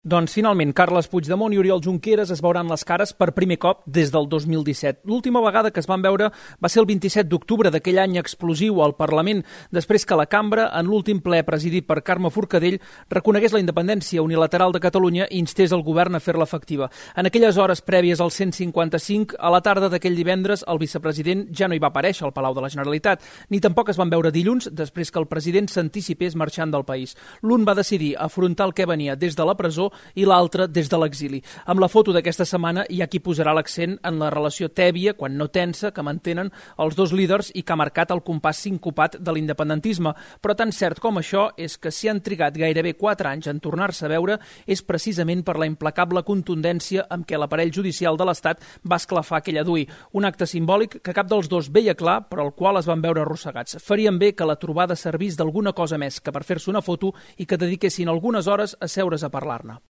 Doncs finalment, Carles Puigdemont i Oriol Junqueras es veuran les cares per primer cop des del 2017. L'última vegada que es van veure va ser el 27 d'octubre d'aquell any explosiu al Parlament, després que la cambra, en l'últim ple presidit per Carme Forcadell, reconegués la independència unilateral de Catalunya i instés el govern a fer-la efectiva. En aquelles hores prèvies al 155, a la tarda d'aquell divendres, el vicepresident ja no hi va aparèixer al Palau de la Generalitat, ni tampoc es van veure dilluns després que el president s'anticipés marxant del país. L'un va decidir afrontar el que venia des de la presó i l'altre des de l'exili. Amb la foto d'aquesta setmana hi ha qui posarà l'accent en la relació tèbia, quan no tensa, que mantenen els dos líders i que ha marcat el compàs sincopat de l'independentisme. Però tan cert com això és que si han trigat gairebé 4 anys en tornar-se a veure és precisament per la implacable contundència amb què l'aparell judicial de l'Estat va esclafar aquella dui. Un acte simbòlic que cap dels dos veia clar, però al qual es van veure arrossegats. Farien bé que la trobada servís d'alguna cosa més que per fer-se una foto i que dediquessin algunes hores a seure's a parlar-ne.